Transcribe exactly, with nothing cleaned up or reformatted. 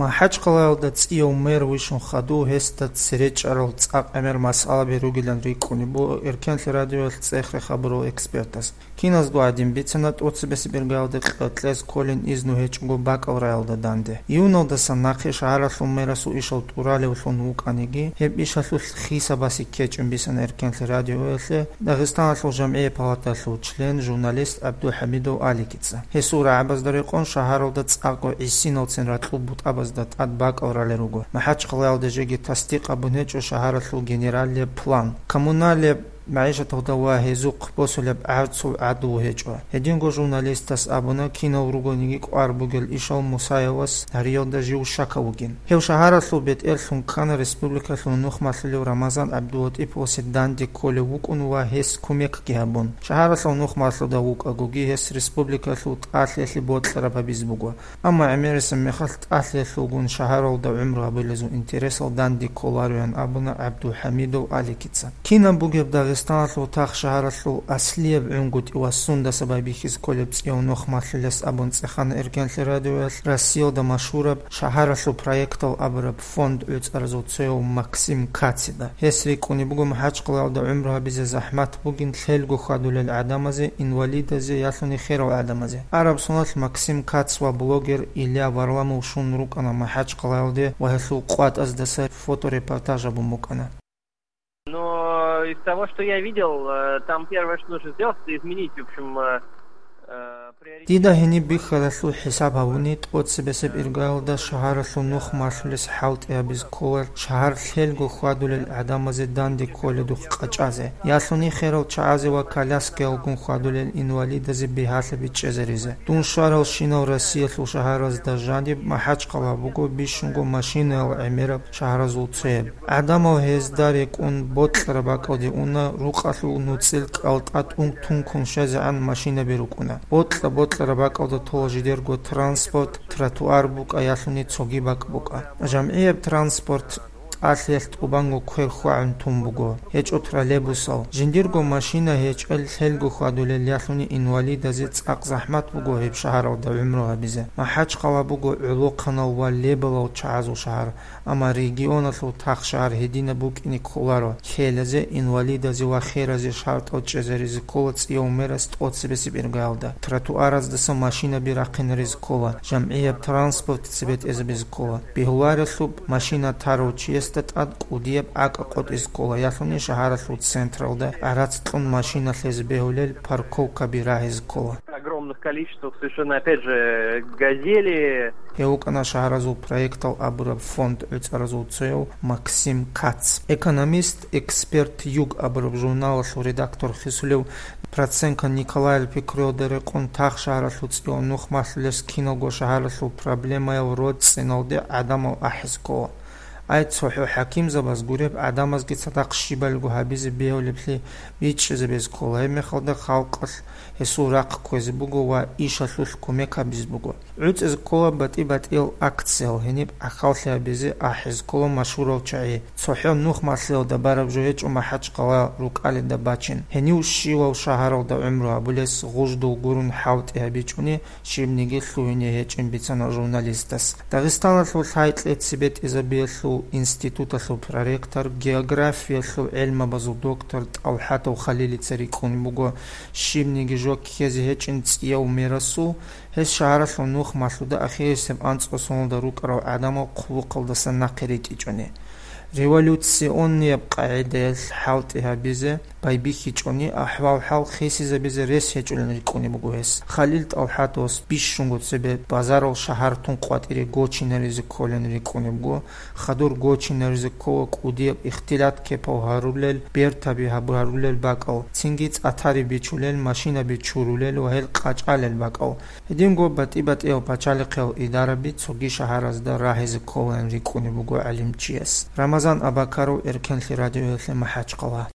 МахӀачхъалаялда цӀияв мэр вищун хадув гьесда цере чӀарал цӀакъ гӀемер масъалаби ругилан рикӀкӀунеб буго Эркенлъи радиоялъ цӀех-рех гьабурал экспертас. Киназго гӀадин бицана тӀоцебесеб иргаялда кьекьез кколин изну гьечӀого бакӀал раялда данде. Июналдасан нахъе шагьаралъул мерасул ишал тӀуралевлъун вукӀаниги, гьеб ишалъулъ хисабасе ккечӀин бицана Эркенлъи радиоялъе Дагъистаналъул жамгӀия палаталъул член, журналист ГӀабдулхӀамидов Аликица. Гьесул рагӀабазда рекъон шагьаралда цӀакъго гӀисиналцин ракьул бутӀабазда тӀад бакӀал ралел руго. МахӀачхъалаялда жеги тасдикъ гьабун гьечӀо шагьаралъул генералияб план. Коммуналияб магӀишаталда ва гьезухъ босулеб гӀарцул гӀадлу гьечӀо. Гьединго журналистас абуна, кинал ругониги кӀвар бугел ишал Мусаевас гьариялда жив щакав вугин. Гьев шагьаралъул бетӀерлъун ккана республикалъул нухмалъулев Рамазан ГӀабдулатӀиповасе данде кколев вукӀун ва гьес кумекги гьабун. Шагьаралъул нухмалъуда вукӀагоги гьес республикалъул тӀалъиялъе бокьараб гьабизе буго. Амма гӀемерисеб мехалъ тӀалъиялъулгун шагьаралда гӀумру гьабулезул интересал данде кколароян абуна ГӀабдулхӀамидов Аликица. Кинаб бугеб Дагъистаналъул тахшагьаралъул аслияб гӀунгутӀи ва сундаса байбихьизе кколеб цӀияв нухмалъулес абун цӀехана Эркенлъи радиоялъ Россиялда машгьураб шагьаралъул проектал абураб фонд гӀуцӀаразул цояв Максим Кацида. Гьес рикӀкӀунеб буго МахӀачхъалаялда гӀумру гьабизе захӀмат бугин лъелго хьвадулел гӀадамазе, инвалидазе, ялъуни херал гӀадамазе. Араб соналъ Максим Кац ва блогер Илья Варламов щун рукӀана МахӀачхъалаялде ва гьелъул къватӀаздаса фоторепортаж гьабун букӀана. Но из того, что я видел, э, там первое, что нужно сделать, это изменить, в общем, э, э, приоритет. Дида гьениб бихьаралъул хӀисаб гьавуни, тӀоцебесеб иргаялда шагьаралъул нухмалъулес хӀалтӀи гьабизе ккола шагьар лъелго хьвадулел гӀадамазе данде кколедухъ къачӀазе, ялъуни херал чагӀазе ва коляскаялгун хьвадулел инвалидазе бигьалъа бичӀчӀизаризе. Дун щваралщинал Россиялъул шагьаразда жаниб МахӀачхъала буго бищунго машинаял гӀемераб шагьаразул цояб. ГӀадамал гьезда рекӀун бокьараб бакӀалде уна, рукъалъул нуцӀил кӀалтӀа тӀун-, тункун щвезегӀан машинаби рукӀуна. Бокьа-бокьараб бакӀалда тола жидерго транспорт, тротуар букӀа, ялъуни цоги бакӀ букӀа. ЖамгӀияб транспорт тӀалъиялъ тӀубанго квер хьвагӀун тун буго, гьечӀо троллейбусал. Жиндирго машина гьечӀел лъелго хьвадулел ялъуни инвалидазе цӀакъ захӀмат буго гьеб шагьаралда гӀумру гьабизе. МахӀачхъала буго гӀолохъанал ва лебалал чагӀазул шагьар. Амма регионалъул тахшагьар гьединаб букӀине кколаро, лъелазе, инвалидазе ва херазе шартӀал чӀезаризе ккола цӀияв мерас тӀоцебесеб иргаялда. Тротуараздаса машинаби рахъинаризе ккола, жамгӀияб транспорт цебетӀезабизе ккола. Бегьуларелъуб машина тарав чиясда тӀад кӀудияб гӀакӀа къотӀизе ккола, ялъуни шагьаралъул централда гӀарац кьун машина лъезе бегьулел парковкаби рагьизе ккола. Огромных количествах совершенно, опять же, газели. Гьев вукӀана шагьаразул проектал абураб фонд гӀуцӀаразул цояв Максим Кац. Экономист, эксперт Юг абураб журналалъул редактор хисулев Проценко Николаял пикруялда рекъон тахшагьаралъул цӀияв нухмалъулес киналго шагьаралъул проблемаял роцӀцӀиналде гӀадамал ахӀизе ккола. Ай, цохӀо хӀакимзабаз гуреб гӀадамазги цадахъ щибалго гьабизе бегьулеблъи бичӀчӀизабизе ккола, гьеб мехалда халкъалъ гьесул рахъ кквезе буго ва ишалъулъ кумек гьабизе буго. ГӀуцӀизе ккола батӀи-батӀиял акциял, гьениб ахӀаллъи гьабизе ахӀизе ккола машгьурал чагӀи. ЦохӀо нухмалъиялда бараб жо гьечӀо МахӀачхъала рукӀалида бачин. Гьенив щивав шагьаралда гӀумру гьабулес гъуждул гурун хӀалтӀи гьабичӀони, щибниги лъугьине гьечӀин бицана журналистас. Дагъистаналъул лъай-кьеце бетӀизабиялъул институталъул проректор, географиялъул гӀелмабазул доктор ТӀалхӀатов Халилица рикӀкӀунеб буго, щибниги жо ккезе гьечӀин цӀияв мерасул, гьес шагьаралъул нухмалъуда ахирисеб анцӀго соналда рукӀарал гӀадамал хъулухъалдаса нахъе ритӀичӀони. Революционнияб къагӀидаялъ хӀалтӀи гьабизе, байбихьичӀони, ахӀвал-хӀал хисизабизе рес гьечӀолин рикӀкӀунеб буго гьес. Халил ТӀалхӀатовас бищунго цебе базарал шагьартун къватӀире гочинаризе кколин рикӀкӀунеб буго, хадур гочинаризе ккола кӀудияб ихтилат-кепал гьарулел, бертаби гьаб-, гьарулел бакӀал, цинги цӀатари бичулел, машинаби чурулел ва гьел къачӀалел бакӀал. Гьединго батӀи-батӀиял пачалихъиял идараби цоги шагьаразда рагьизе кколаан рикӀкӀунеб буго гӀалимчияс. Рамазан Абакаров, Эркенлъи радиоялъе МахӀачхъала.